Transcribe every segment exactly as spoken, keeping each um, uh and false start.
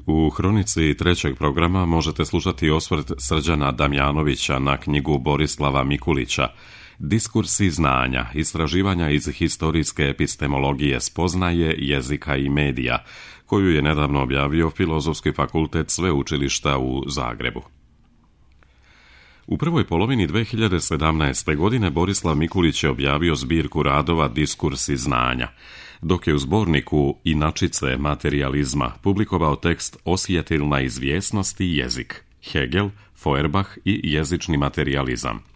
U hronici trećeg programa možete slušati osvrt Srđana Damjanovića na knjigu Borislava Mikulića Diskursi znanja, istraživanja iz historijske epistemologije spoznaje, jezika i medija, koju je nedavno objavio Filozofski fakultet Sveučilišta u Zagrebu. U prvoj polovini dve hiljade sedamnaeste. godine Borislav Mikulić je objavio zbirku radova Diskursi znanja, dok je u zborniku Inačice materijalizma publikovao tekst Osjetilna izvjesnost i jezik, Hegel, Feuerbach i jezični materijalizam.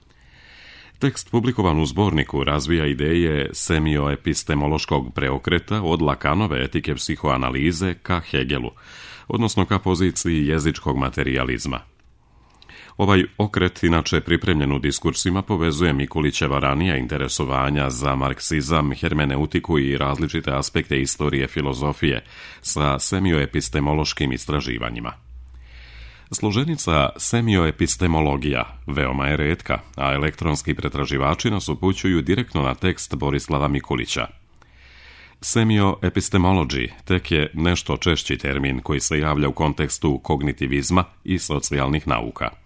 Tekst publikovan u zborniku razvija ideje semioepistemološkog preokreta od Lacanove etike psihoanalize ka Hegelu, odnosno ka poziciji jezičkog materijalizma. Ovaj okret, inače pripremljen u diskursima, povezuje Mikulićeva ranija interesovanja za marksizam, hermeneutiku i različite aspekte istorije filozofije sa semioepistemološkim istraživanjima. Složenica semioepistemologija veoma je retka, a elektronski pretraživači nas upućuju direktno na tekst Borislava Mikulića. Semioepistemology tek je nešto češći termin koji se javlja u kontekstu kognitivizma i socijalnih nauka.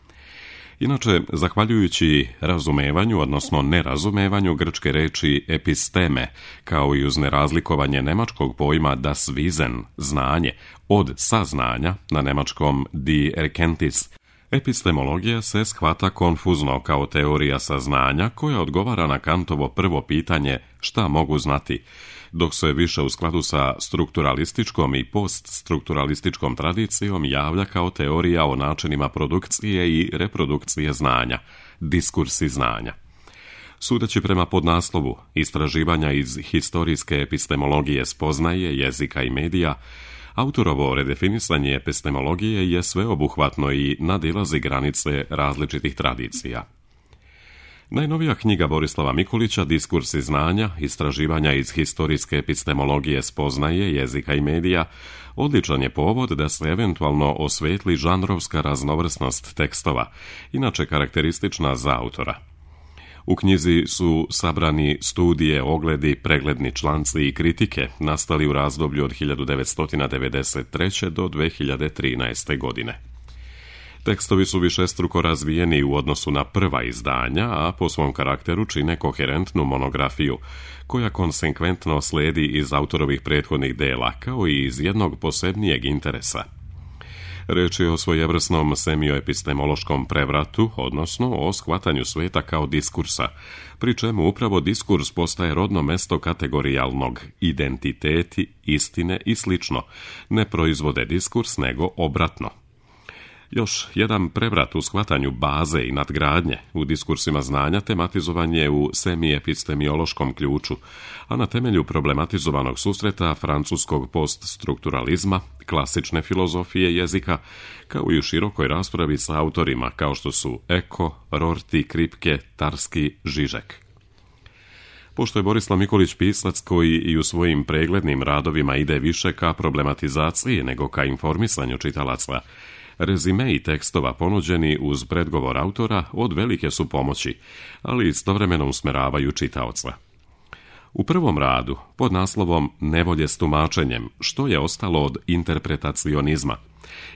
Inače, zahvaljujući razumevanju, odnosno nerazumevanju grčke reči episteme, kao i uz nerazlikovanje nemačkog pojma das Wissen, znanje, od saznanja, na nemačkom die Erkenntnis, epistemologija se shvata konfuzno kao teorija saznanja koja odgovara na Kantovo prvo pitanje šta mogu znati, dok se više u skladu sa strukturalističkom i poststrukturalističkom tradicijom javlja kao teorija o načinima produkcije i reprodukcije znanja, diskursi znanja. Sudeći prema podnaslovu istraživanja iz historijske epistemologije spoznaje, jezika i medija, autorovo redefinisanje epistemologije je sveobuhvatno i nadilazi granice različitih tradicija. Najnovija knjiga Borislava Mikulića, Diskursi znanja, istraživanja iz historijske epistemologije spoznaje, jezika i medija, odličan je povod da se eventualno osvetli žanrovska raznovrsnost tekstova, inače karakteristična za autora. U knjizi su sabrani studije, ogledi, pregledni članci i kritike nastali u razdoblju od hiljadu devetsto devedeset treće. do dve hiljade trinaeste. godine. Tekstovi su višestruko razvijeni u odnosu na prva izdanja, a po svom karakteru čine koherentnu monografiju, koja konsekventno sledi iz autorovih prethodnih dela, kao i iz jednog posebnijeg interesa. Reč je o svojevrsnom semioepistemološkom prevratu, odnosno o shvatanju sveta kao diskursa, pri čemu upravo diskurs postaje rodno mesto kategorijalnog identiteti, istine i slično, ne proizvode diskurs nego obratno. Još jedan prevrat u shvatanju baze i nadgradnje u diskursima znanja tematizovan je u semiepistemiološkom ključu, a na temelju problematizovanog susreta francuskog poststrukturalizma, klasične filozofije jezika, kao i u širokoj raspravi sa autorima kao što su Eko, Rorty, Kripke, Tarski, Žižek. Pošto je Borislav Mikulić pisac koji i u svojim preglednim radovima ide više ka problematizaciji nego ka informisanju čitalaca, rezimei tekstova ponuđeni uz predgovor autora od velike su pomoći, ali istovremeno usmeravaju čitaoca. U prvom radu, pod naslovom Nevolje s tumačenjem, što je ostalo od interpretacionizma,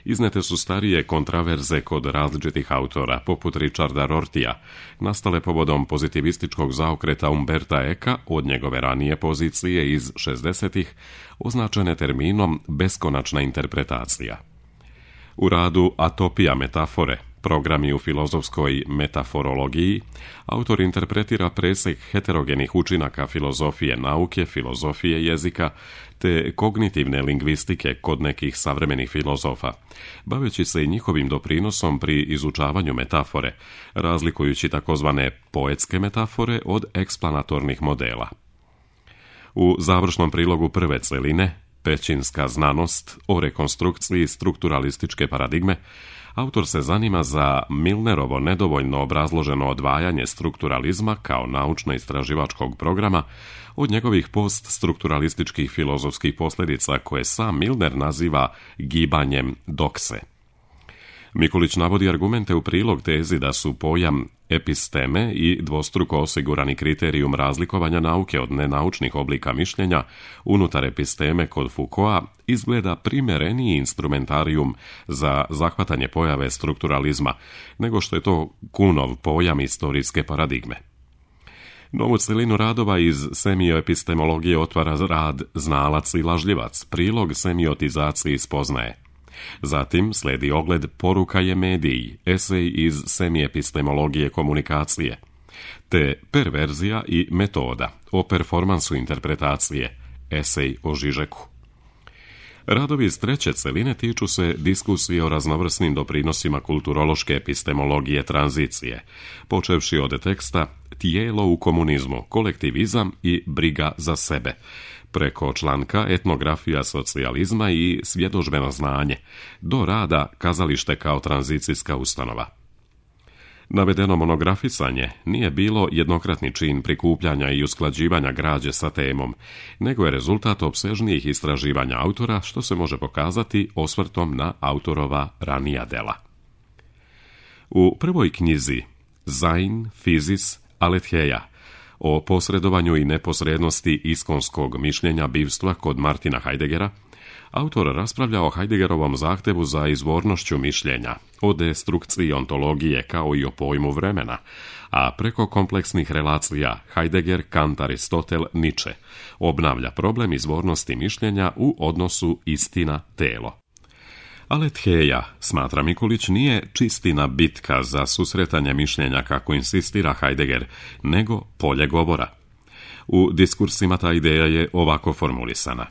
iznete su starije kontraverze kod različitih autora, poput Richarda Rortija, nastale povodom pozitivističkog zaokreta Umberta Eka od njegove ranije pozicije iz šezdesetih, označene terminom beskonačna interpretacija. U radu Atopija metafore, programi u filozofskoj metaforologiji, autor interpretira presek heterogenih učinaka filozofije nauke, filozofije jezika, te kognitivne lingvistike kod nekih savremenih filozofa, baveći se i njihovim doprinosom pri izučavanju metafore, razlikujući takozvane poetske metafore od eksplanatornih modela. U završnom prilogu prve celine, Pećinska znanost o rekonstrukciji strukturalističke paradigme, autor se zanima za Milnerovo nedovoljno obrazloženo odvajanje strukturalizma kao naučno-istraživačkog programa od njegovih poststrukturalističkih filozofskih posljedica koje sam Milner naziva gibanjem dokse. Mikulić navodi argumente u prilog tezi da su pojam episteme i dvostruko osigurani kriterijum razlikovanja nauke od nenaučnih oblika mišljenja unutar episteme kod Foucaulta izgleda primjereniji instrumentarijum za zahvatanje pojave strukturalizma, nego što je to Kuhnov pojam istorijske paradigme. Novu celinu radova iz semioepistemologije otvara rad Znalac i lažljivac, prilog semiotizaciji spoznaje. Zatim slijedi ogled Poruka je mediji, esej iz semiepistemologije komunikacije, te Perverzija i metoda, o performansu interpretacije, esej o Žižeku. Radovi iz treće celine tiču se diskusije o raznovrsnim doprinosima kulturološke epistemologije tranzicije, počevši od teksta Tijelo u komunizmu, kolektivizam i briga za sebe, preko članka Etnografija socijalizma i svjedodžbeno znanje, do rada Kazalište kao tranzicijska ustanova. Navedeno monografisanje nije bilo jednokratni čin prikupljanja i usklađivanja građe sa temom, nego je rezultat opsežnijih istraživanja autora, što se može pokazati osvrtom na autorova ranija dela. U prvoj knjizi Sein, Physis, Aletheia, o posredovanju i neposrednosti iskonskog mišljenja bivstva kod Martina Heideggera, autor raspravlja o Heideggerovom zahtevu za izvornošću mišljenja, o destrukciji ontologije kao i o pojmu vremena, a preko kompleksnih relacija Heidegger, Kant, Aristotel, Nietzsche obnavlja problem izvornosti mišljenja u odnosu istina-telo. Aletheia, smatra Mikulić, nije čistina bitka za susretanje mišljenja kako insistira Heidegger, nego polje govora. U diskursima ta ideja je ovako formulisana.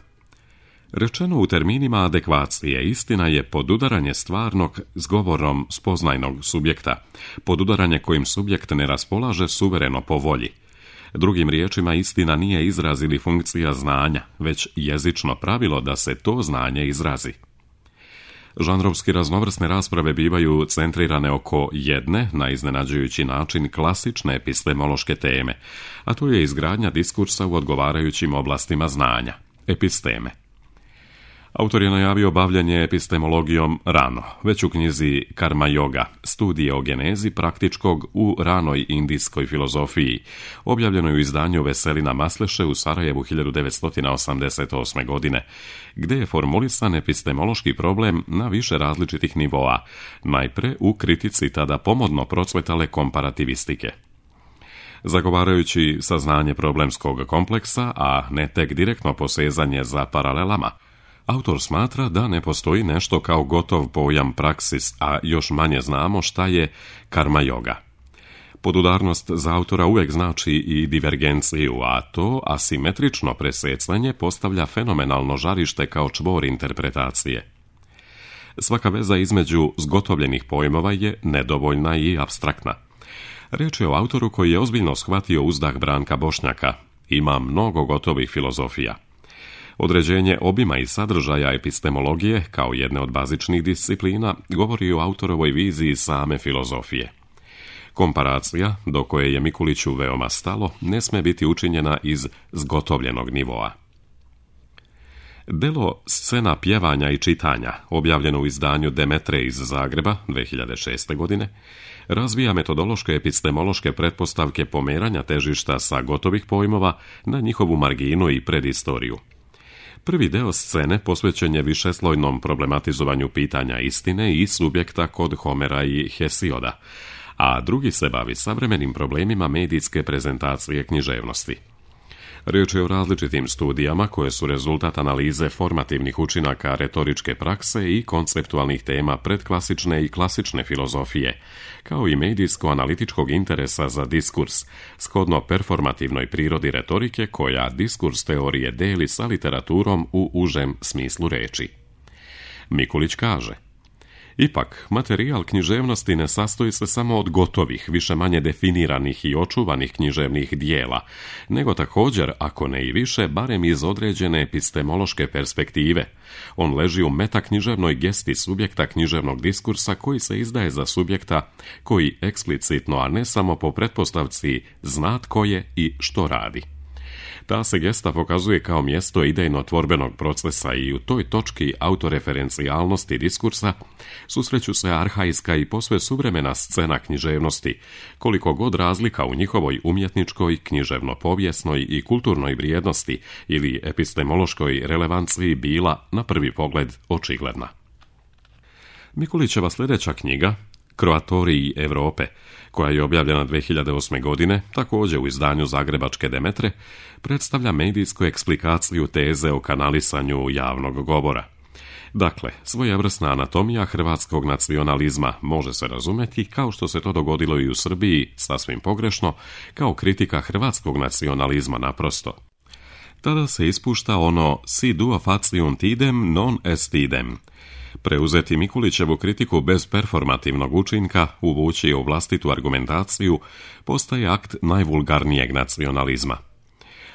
Rečeno u terminima adekvacije, istina je podudaranje stvarnog s govorom spoznajnog subjekta, podudaranje kojim subjekt ne raspolaže suvereno po volji. Drugim riječima, istina nije izraz ili funkcija znanja, već jezično pravilo da se to znanje izrazi. Žanrovski raznovrsne rasprave bivaju centrirane oko jedne, na iznenađujući način, klasične epistemološke teme, a to je izgradnja diskursa u odgovarajućim oblastima znanja, episteme. Autor je najavio bavljenje epistemologijom rano, već u knjizi Karma Yoga, studije o genezi praktičkog u ranoj indijskoj filozofiji, objavljenoj u izdanju Veselina Masleše u Sarajevu hiljadu devetsto osamdeset osme. godine, gdje je formulisan epistemološki problem na više različitih nivoa, najpre u kritici tada pomodno procvetale komparativistike. Zagovarajući saznanje problemskog kompleksa, a ne tek direktno posezanje za paralelama, autor smatra da ne postoji nešto kao gotov pojam praksis, a još manje znamo šta je karma yoga. Podudarnost za autora uvijek znači i divergenciju, a to asimetrično presecanje postavlja fenomenalno žarište kao čvor interpretacije. Svaka veza između zgotovljenih pojmova je nedovoljna i apstraktna. Riječ je o autoru koji je ozbiljno shvatio uzdah Branka Bošnjaka. Ima mnogo gotovih filozofija. Određenje obima i sadržaja epistemologije, kao jedne od bazičnih disciplina, govori o autorovoj viziji same filozofije. Komparacija, do koje je Mikuliću veoma stalo, ne sme biti učinjena iz zgotovljenog nivoa. Delo Scena pjevanja i čitanja, objavljeno u izdanju Demetre iz Zagreba dvije hiljade šeste. godine, razvija metodološke epistemološke pretpostavke pomeranja težišta sa gotovih pojmova na njihovu marginu i predistoriju. Prvi deo scene posvećen je višeslojnom problematizovanju pitanja istine i subjekta kod Homera i Hesioda, a drugi se bavi savremenim problemima medijske prezentacije književnosti. Riječ je o različitim studijama koje su rezultat analize formativnih učinaka retoričke prakse i konceptualnih tema predklasične i klasične filozofije, kao i medijsko-analitičkog interesa za diskurs, shodno performativnoj prirodi retorike koja diskurs teorije deli sa literaturom u užem smislu reči. Mikulić kaže: ipak, materijal književnosti ne sastoji se samo od gotovih, više-manje definiranih i očuvanih književnih dijela, nego također, ako ne i više, barem iz određene epistemološke perspektive. On leži u metaknjiževnoj gesti subjekta književnog diskursa koji se izdaje za subjekta koji eksplicitno, a ne samo po pretpostavci, zna tko je i što radi. Ta se gesta pokazuje kao mjesto idejno-tvorbenog procesa i u toj točki autoreferencijalnosti diskursa susreću se arhaiska i posve suvremena scena književnosti, koliko god razlika u njihovoj umjetničkoj, književno-povijesnoj i kulturnoj vrijednosti ili epistemološkoj relevanciji bila, na prvi pogled, očigledna. Mikulićeva sljedeća knjiga, Kroatoriji Europe, koja je objavljena dvije hiljade osme. godine, također u izdanju Zagrebačke Demetre, predstavlja medijsku eksplikaciju teze o kanalisanju javnog govora. Dakle, svojevrsna anatomija hrvatskog nacionalizma može se razumjeti, kao što se to dogodilo i u Srbiji, sasvim pogrešno, kao kritika hrvatskog nacionalizma naprosto. Tada se ispušta ono si duo faciunt idem non est idem. Preuzeti Mikulićevu kritiku bez performativnog učinka, uvući u vlastitu argumentaciju, postaje akt najvulgarnijeg nacionalizma.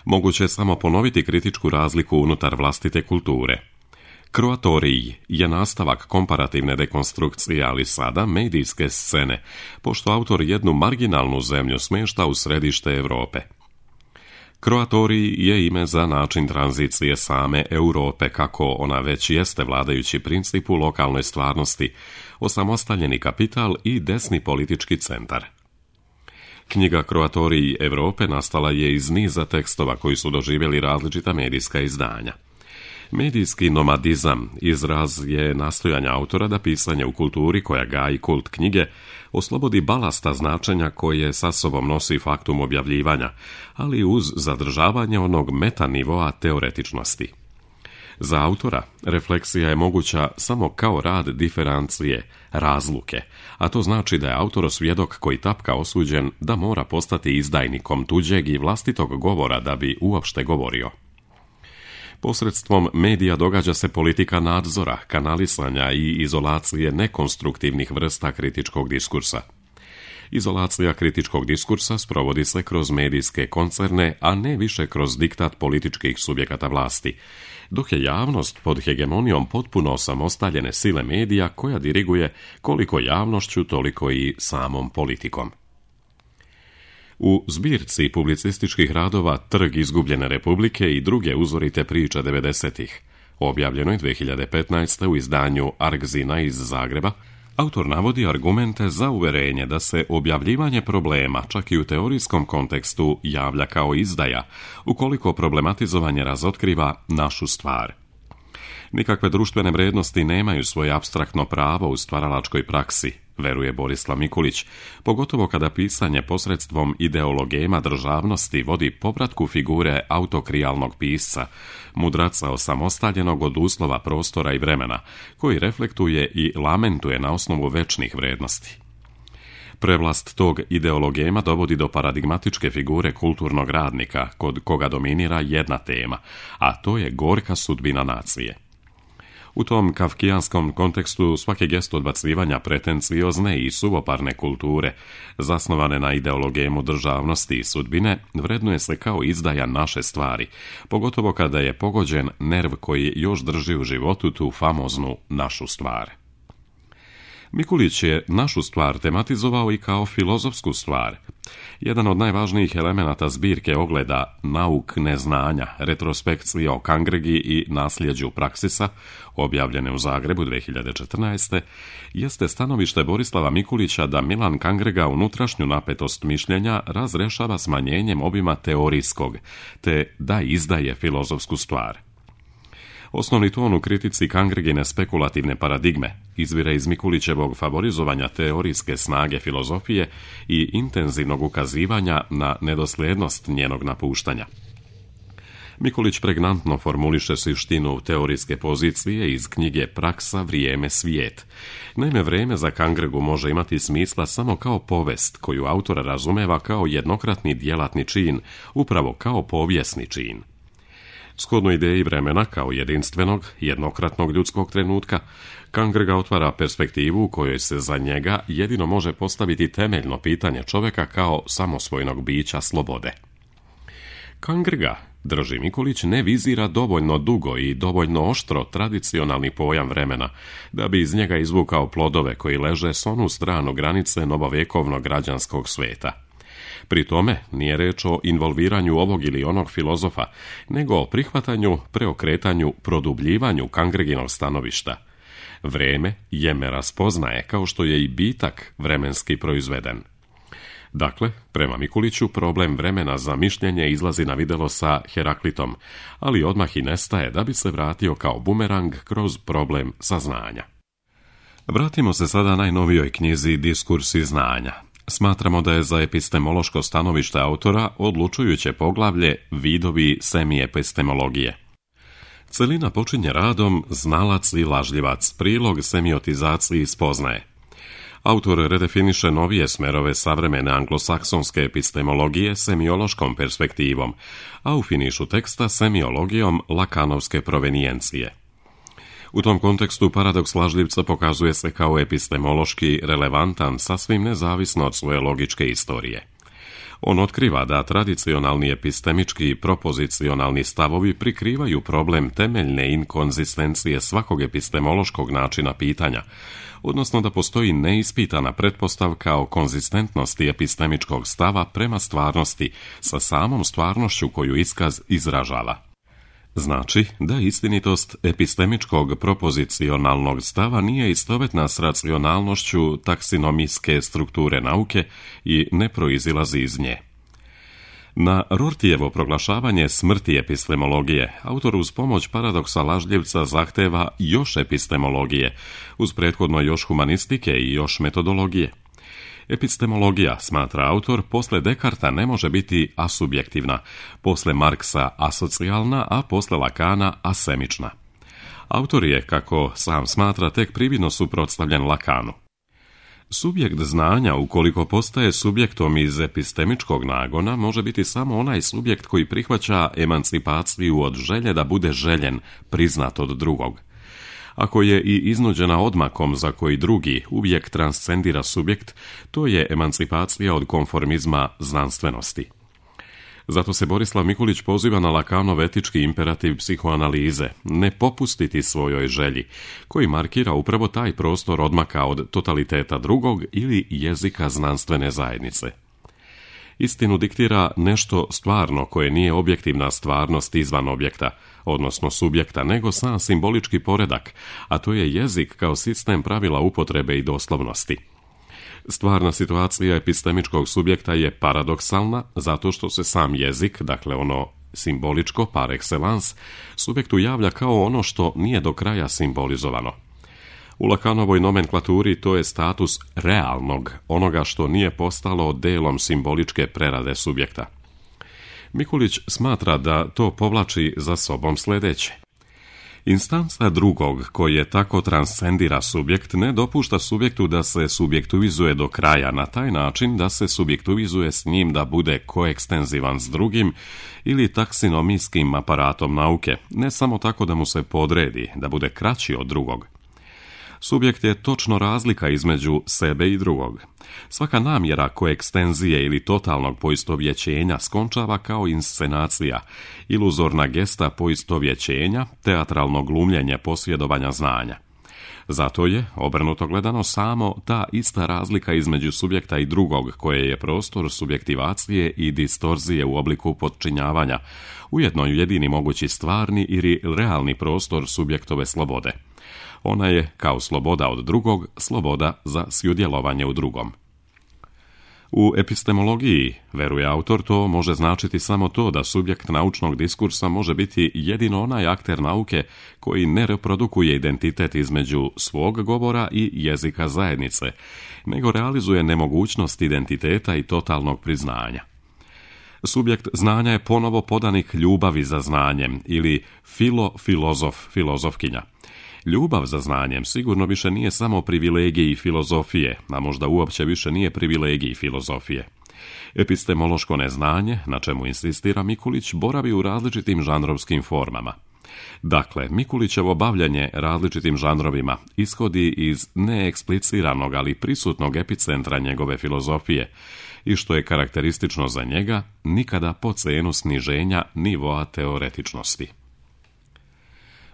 Moguće je samo ponoviti kritičku razliku unutar vlastite kulture. Kroatoriji je nastavak komparativne dekonstrukcije, ali sada medijske scene, pošto autor jednu marginalnu zemlju smješta u središte Europe. Kroatoriji je ime za način tranzicije same Europe, kako ona već jeste vladajući princip u lokalnoj stvarnosti, osamostaljeni kapital i desni politički centar. Knjiga Kroatoriji Europe nastala je iz niza tekstova koji su doživjeli različita medijska izdanja. Medijski nomadizam izraz je nastojanja autora da pisanje u kulturi koja gaji kult knjige oslobodi balasta značenja koje sa sobom nosi faktum objavljivanja, ali uz zadržavanje onog metanivoa teoretičnosti. Za autora refleksija je moguća samo kao rad diferencije, razluke, a to znači da je autor svjedok koji tapka osuđen da mora postati izdajnikom tuđeg i vlastitog govora da bi uopšte govorio. Posredstvom medija događa se politika nadzora, kanalisanja i izolacije nekonstruktivnih vrsta kritičkog diskursa. Izolacija kritičkog diskursa sprovodi se kroz medijske koncerne, a ne više kroz diktat političkih subjekata vlasti, dok je javnost pod hegemonijom potpuno osamostaljene sile medija koja diriguje koliko javnošću, toliko i samom politikom. U zbirci publicističkih radova Trg izgubljene republike i druge uzorite priče devedesetih, objavljenoj dvije hiljade petnaeste. u izdanju Argzina iz Zagreba, autor navodi argumente za uverenje da se objavljivanje problema, čak i u teorijskom kontekstu, javlja kao izdaja, ukoliko problematizovanje razotkriva našu stvar. Nikakve društvene vrijednosti nemaju svoje apstraktno pravo u stvaralačkoj praksi, veruje Borislav Mikulić, pogotovo kada pisanje posredstvom ideologema državnosti vodi povratku figure autokrijalnog pisca, mudraca osamostaljenog od uslova prostora i vremena, koji reflektuje i lamentuje na osnovu večnih vrijednosti. Prevlast tog ideologema dovodi do paradigmatičke figure kulturnog radnika, kod koga dominira jedna tema, a to je gorka sudbina nacije. U tom kafkijanskom kontekstu svaki gest odbacivanja pretenciozne i suvoparne kulture, zasnovane na ideologemu državnosti i sudbine, vrednuje se kao izdaja naše stvari, pogotovo kada je pogođen nerv koji još drži u životu tu famoznu našu stvar. Mikulić je našu stvar tematizovao i kao filozofsku stvar. Jedan od najvažnijih elemenata zbirke ogleda Nauk neznanja, retrospekcija o Kangrigi i nasljeđu praksisa, objavljene u Zagrebu dvije hiljade četrnaeste. jeste stanovište Borislava Mikulića da Milan Kangrega unutrašnju napetost mišljenja razrešava smanjenjem obima teorijskog, te da izdaje filozofsku stvar. Osnovni ton u kritici Kangregine spekulativne paradigme izvire iz Mikulićevog favorizovanja teorijske snage filozofije i intenzivnog ukazivanja na nedosljednost njenog napuštanja. Mikulić pregnantno formuliše suštinu teorijske pozicije iz knjige Praksa, vrijeme, svijet. Naime, vrijeme za Kangregu može imati smisla samo kao povest koju autor razumeva kao jednokratni djelatni čin, upravo kao povijesni čin. Shodno ideji vremena kao jedinstvenog, jednokratnog ljudskog trenutka, Kangrega otvara perspektivu u kojoj se za njega jedino može postaviti temeljno pitanje čovjeka kao samosvojnog bića slobode. Kangrega, drži Mikulić, ne vizira dovoljno dugo i dovoljno oštro tradicionalni pojam vremena, da bi iz njega izvukao plodove koji leže s onu stranu granice novovjekovnog građanskog sveta. Pri tome nije reč o involviranju ovog ili onog filozofa, nego o prihvatanju, preokretanju, produbljivanju Kangreginog stanovišta. Vreme jeme raspoznaje, kao što je i bitak vremenski proizveden. Dakle, prema Mikuliću, problem vremena za mišljenje izlazi na videlo sa Heraklitom, ali odmah i nestaje da bi se vratio kao bumerang kroz problem saznanja. Vratimo se sada najnovijoj knjizi Diskursi znanja. Smatramo da je za epistemološko stanovište autora odlučujuće poglavlje Vidovi semiepistemologije. Celina počinje radom Znalac i lažljivac, prilog semiotizaciji spoznaje. Autor redefiniše novije smerove savremene anglosaksonske epistemologije semiološkom perspektivom, a u finišu teksta semiologijom lakanovske provenijencije. U tom kontekstu paradoks lažljivca pokazuje se kao epistemološki relevantan sasvim nezavisno od svoje logičke istorije. On otkriva da tradicionalni epistemički i propozicionalni stavovi prikrivaju problem temeljne inkonzistencije svakog epistemološkog načina pitanja, odnosno da postoji neispitana pretpostavka o konzistentnosti epistemičkog stava prema stvarnosti sa samom stvarnošću koju iskaz izražava. Znači da istinitost epistemičkog propozicionalnog stava nije istovetna s racionalnošću taksonomijske strukture nauke i ne proizilazi iz nje. Na Rortijevo proglašavanje smrti epistemologije, autor uz pomoć paradoksa lažljivca zahteva još epistemologije, uz prethodno još humanistike i još metodologije. Epistemologija, smatra autor, posle Dekarta ne može biti asubjektivna, posle Marksa asocijalna, a posle Lakana asemična. Autor je, kako sam smatra, tek prividno suprotstavljen Lakanu. Subjekt znanja, ukoliko postaje subjektom iz epistemičkog nagona, može biti samo onaj subjekt koji prihvaća emancipaciju od želje da bude željen, priznat od drugog. Ako je i iznuđena odmakom za koji drugi uvijek transcendira subjekt, to je emancipacija od konformizma znanstvenosti. Zato se Borislav Mikulić poziva na Lakanov etički imperativ psihoanalize, ne popustiti svojoj želji, koji markira upravo taj prostor odmaka od totaliteta drugog ili jezika znanstvene zajednice. Istinu diktira nešto stvarno koje nije objektivna stvarnost izvan objekta, odnosno subjekta, nego sam simbolički poredak, a to je jezik kao sistem pravila upotrebe i doslovnosti. Stvarna situacija epistemičkog subjekta je paradoksalna zato što se sam jezik, dakle ono simboličko par excellence, subjektu javlja kao ono što nije do kraja simbolizovano. U Lakanovoj nomenklaturi to je status realnog, onoga što nije postalo delom simboličke prerade subjekta. Mikulić smatra da to povlači za sobom sljedeće. Instanca drugog, koje tako transcendira subjekt, ne dopušta subjektu da se subjektivizuje do kraja na taj način da se subjektivizuje s njim da bude koekstenzivan s drugim ili taksonomijskim aparatom nauke, ne samo tako da mu se podredi, da bude kraći od drugog. Subjekt je točno razlika između sebe i drugog. Svaka namjera koekstenzije ili totalnog poistovjećenja skončava kao inscenacija, iluzorna gesta poistovjećenja, teatralno glumljenje posjedovanja znanja. Zato je, obrnuto gledano, samo ta ista razlika između subjekta i drugog, koje je prostor subjektivacije i distorzije u obliku podčinjavanja, ujedno jedini mogući stvarni ili realni prostor subjektove slobode. Ona je, kao sloboda od drugog, sloboda za sudjelovanje u drugom. U epistemologiji, veruje autor, to može značiti samo to da subjekt naučnog diskursa može biti jedino onaj akter nauke koji ne reprodukuje identitet između svog govora i jezika zajednice, nego realizuje nemogućnost identiteta i totalnog priznanja. Subjekt znanja je ponovo podanik ljubavi za znanjem ili filo-filozof, filozofkinja. Ljubav za znanjem sigurno više nije samo privilegij filozofije, a možda uopće više nije privilegij filozofije. Epistemološko neznanje, na čemu insistira Mikulić, boravi u različitim žanrovskim formama. Dakle, Mikulićevo bavljanje različitim žanrovima ishodi iz neekspliciranog, ali prisutnog epicentra njegove filozofije i, što je karakteristično za njega, nikada po cenu sniženja nivoa teoretičnosti.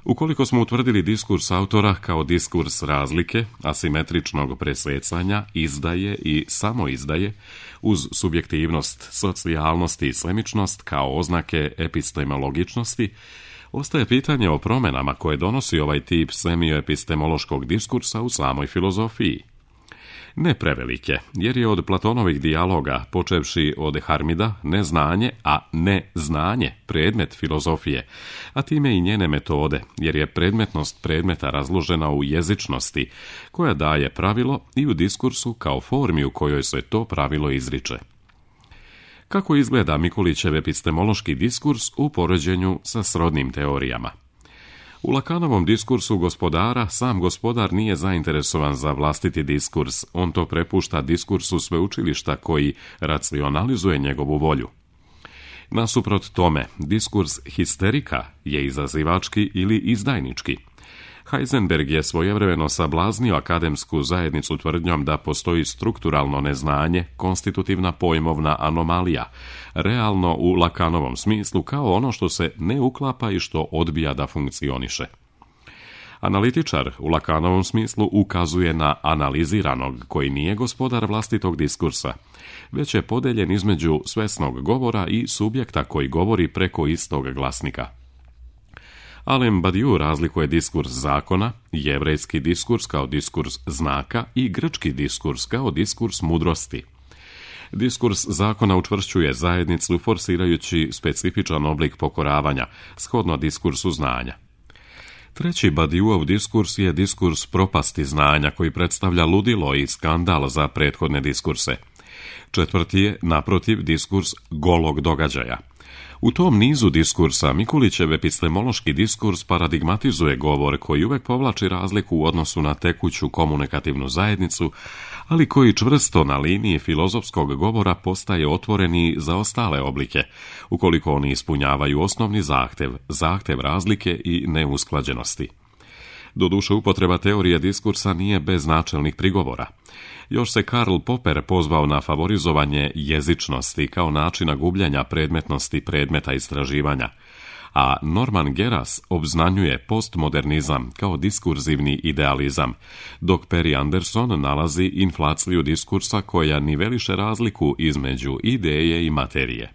Ukoliko smo utvrdili diskurs autora kao diskurs razlike, asimetričnog presecanja, izdaje i samoizdaje, uz subjektivnost, socijalnost i slemičnost kao oznake epistemologičnosti, ostaje pitanje o promjenama koje donosi ovaj tip semioepistemološkog diskursa u samoj filozofiji. Ne prevelike, jer je od Platonovih dijaloga, počevši od Harmida, neznanje, a ne znanje predmet filozofije, a time i njene metode, jer je predmetnost predmeta razložena u jezičnosti, koja daje pravilo i u diskursu kao formi u kojoj se to pravilo izriče. Kako izgleda Mikulićev epistemološki diskurs u poređenju sa srodnim teorijama? U Lakanovom diskursu gospodara sam gospodar nije zainteresovan za vlastiti diskurs, on to prepušta diskursu sveučilišta koji racionalizuje njegovu volju. Nasuprot tome, diskurs histerika je izazivački ili izdajnički. Heisenberg je svojevremeno sablaznio akademsku zajednicu tvrdnjom da postoji strukturalno neznanje, konstitutivna pojmovna anomalija, realno u Lakanovom smislu kao ono što se ne uklapa i što odbija da funkcioniše. Analitičar u Lakanovom smislu ukazuje na analiziranog koji nije gospodar vlastitog diskursa, već je podeljen između svesnog govora i subjekta koji govori preko istog glasnika. Alain Badiou razlikuje diskurs zakona, jevrejski diskurs kao diskurs znaka i grčki diskurs kao diskurs mudrosti. Diskurs zakona učvršćuje zajednicu forsirajući specifičan oblik pokoravanja, shodno diskursu znanja. Treći Badiouov diskurs je diskurs propasti znanja koji predstavlja ludilo i skandal za prethodne diskurse. Četvrti je, naprotiv, diskurs golog događaja. U tom nizu diskursa Mikulićev epistemološki diskurs paradigmatizuje govor koji uvek povlači razliku u odnosu na tekuću komunikativnu zajednicu, ali koji čvrsto na liniji filozofskog govora postaje otvoreni za ostale oblike, ukoliko oni ispunjavaju osnovni zahtev, zahtev razlike i neusklađenosti. Doduše, upotreba teorije diskursa nije bez načelnih prigovora. Još se Karl Popper pozvao na favorizovanje jezičnosti kao načina gubljenja predmetnosti predmeta istraživanja, a Norman Geras obznanjuje postmodernizam kao diskurzivni idealizam, dok Perry Anderson nalazi inflaciju diskursa koja niveliše razliku između ideje i materije.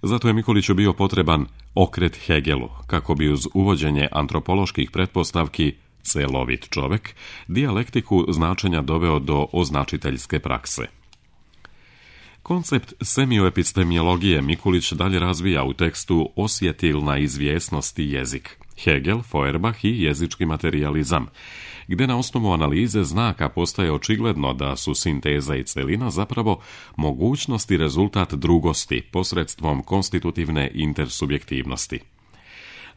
Zato je Mikuliću bio potreban okret Hegelu, kako bi uz uvođenje antropoloških pretpostavki celovit čovek, dijalektiku značenja doveo do označiteljske prakse. Koncept semioepistemologije Mikulić dalje razvija u tekstu Osjetilna izvjesnost i jezik, Hegel, Feuerbach i jezički materijalizam, gdje na osnovu analize znaka postaje očigledno da su sinteza i celina zapravo mogućnost i rezultat drugosti posredstvom konstitutivne intersubjektivnosti.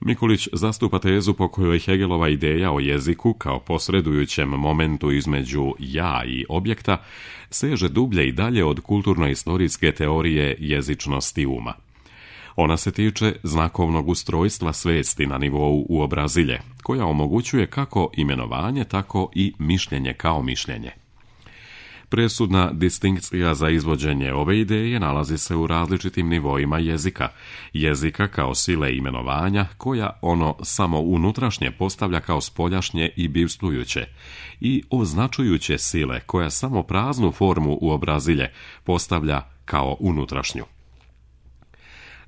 Mikulić zastupa tezu po kojoj Hegelova ideja o jeziku kao posredujućem momentu između ja i objekta seže dublje i dalje od kulturno-istorijske teorije jezičnosti uma. Ona se tiče znakovnog ustrojstva svesti na nivou uobrazilje, koja omogućuje kako imenovanje, tako i mišljenje kao mišljenje. Presudna distinkcija za izvođenje ove ideje nalazi se u različitim nivoima jezika, jezika kao sile imenovanja, koja ono samo unutrašnje postavlja kao spoljašnje i bivstvujuće, i označujuće sile, koja samo praznu formu uobrazilje postavlja kao unutrašnju.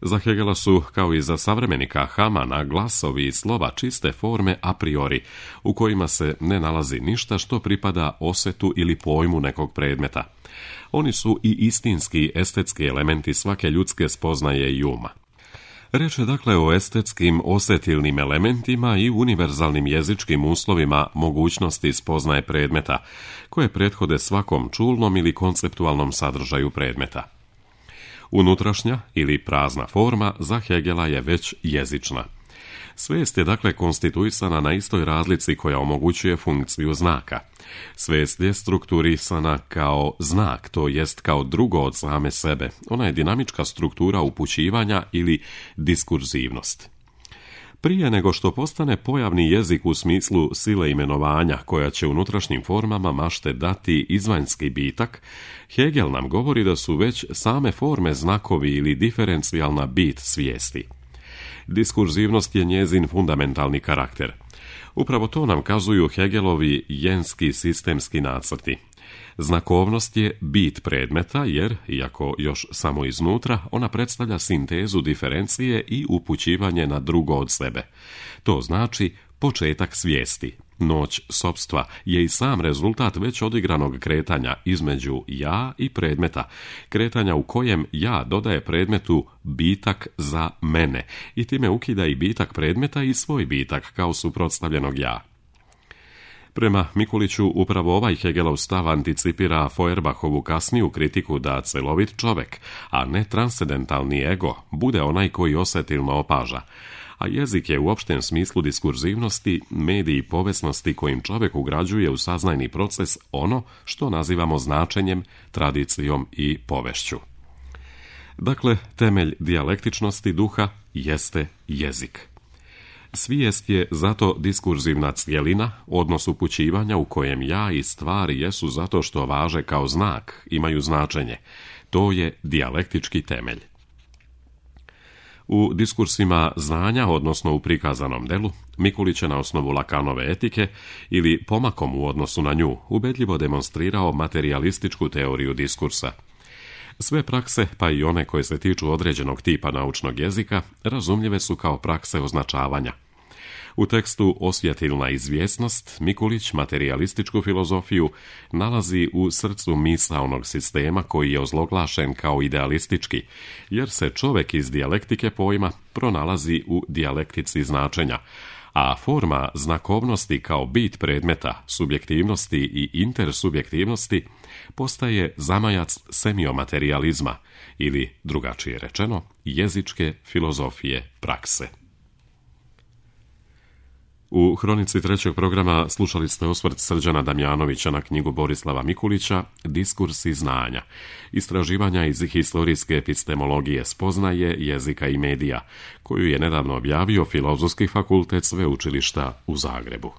Za Hegela su, kao i za savremenika Hamana, glasovi i slova čiste forme a priori, u kojima se ne nalazi ništa što pripada osetu ili pojmu nekog predmeta. Oni su i istinski estetski elementi svake ljudske spoznaje i uma. Reč je dakle o estetskim osetilnim elementima i univerzalnim jezičkim uslovima mogućnosti spoznaje predmeta, koje prethode svakom čulnom ili konceptualnom sadržaju predmeta. Unutrašnja ili prazna forma za Hegela je već jezična. Svest je dakle konstituisana na istoj razlici koja omogućuje funkciju znaka. Svest je strukturisana kao znak, to jest kao drugo od same sebe. Ona je dinamička struktura upućivanja ili diskurzivnost. Prije nego što postane pojavni jezik u smislu sile imenovanja koja će unutrašnjim formama mašte dati izvanjski bitak, Hegel nam govori da su već same forme znakovi ili diferencijalna bit svijesti. Diskurzivnost je njezin fundamentalni karakter. Upravo to nam kazuju Hegelovi jenski sistemski nacrti. Znakovnost je bit predmeta jer, iako još samo iznutra, ona predstavlja sintezu diferencije i upućivanje na drugo od sebe. To znači početak svijesti. Noć sopstva je i sam rezultat već odigranog kretanja između ja i predmeta, kretanja u kojem ja dodaje predmetu bitak za mene i time ukida i bitak predmeta i svoj bitak kao suprotstavljenog ja. Prema Mikuliću, upravo ovaj Hegelov stav anticipira Feuerbachovu kasniju kritiku da celovit čovjek, a ne transcendentalni ego, bude onaj koji osjetilno opaža, a jezik je u opštem smislu diskurzivnosti, mediji i povesnosti kojim čovjek ugrađuje u saznajni proces ono što nazivamo značenjem, tradicijom i povešću. Dakle, temelj dijalektičnosti duha jeste jezik. Svijest je zato diskurzivna cjelina, odnos upućivanja u kojem ja i stvari jesu zato što važe kao znak, imaju značenje. To je dijalektički temelj. U diskursima znanja, odnosno u prikazanom delu, Mikulić je na osnovu Lacanove etike ili pomakom u odnosu na nju ubedljivo demonstrirao materijalističku teoriju diskursa. Sve prakse, pa i one koje se tiču određenog tipa naučnog jezika, razumljive su kao prakse označavanja. U tekstu Osjetilna izvjesnost Mikulić materijalističku filozofiju nalazi u srcu misaonog sistema koji je ozloglašen kao idealistički, jer se čovjek iz dijalektike pojma pronalazi u dijalektici značenja, a forma znakovnosti kao bit predmeta, subjektivnosti i intersubjektivnosti postaje zamajac semiomaterijalizma ili, drugačije rečeno, jezičke filozofije prakse. U hronici trećeg programa slušali ste osvrt Srđana Damjanovića na knjigu Borislava Mikulića Diskursi znanja, istraživanja iz historijske epistemologije spoznaje, jezika i medija, koju je nedavno objavio Filozofski fakultet Sveučilišta u Zagrebu.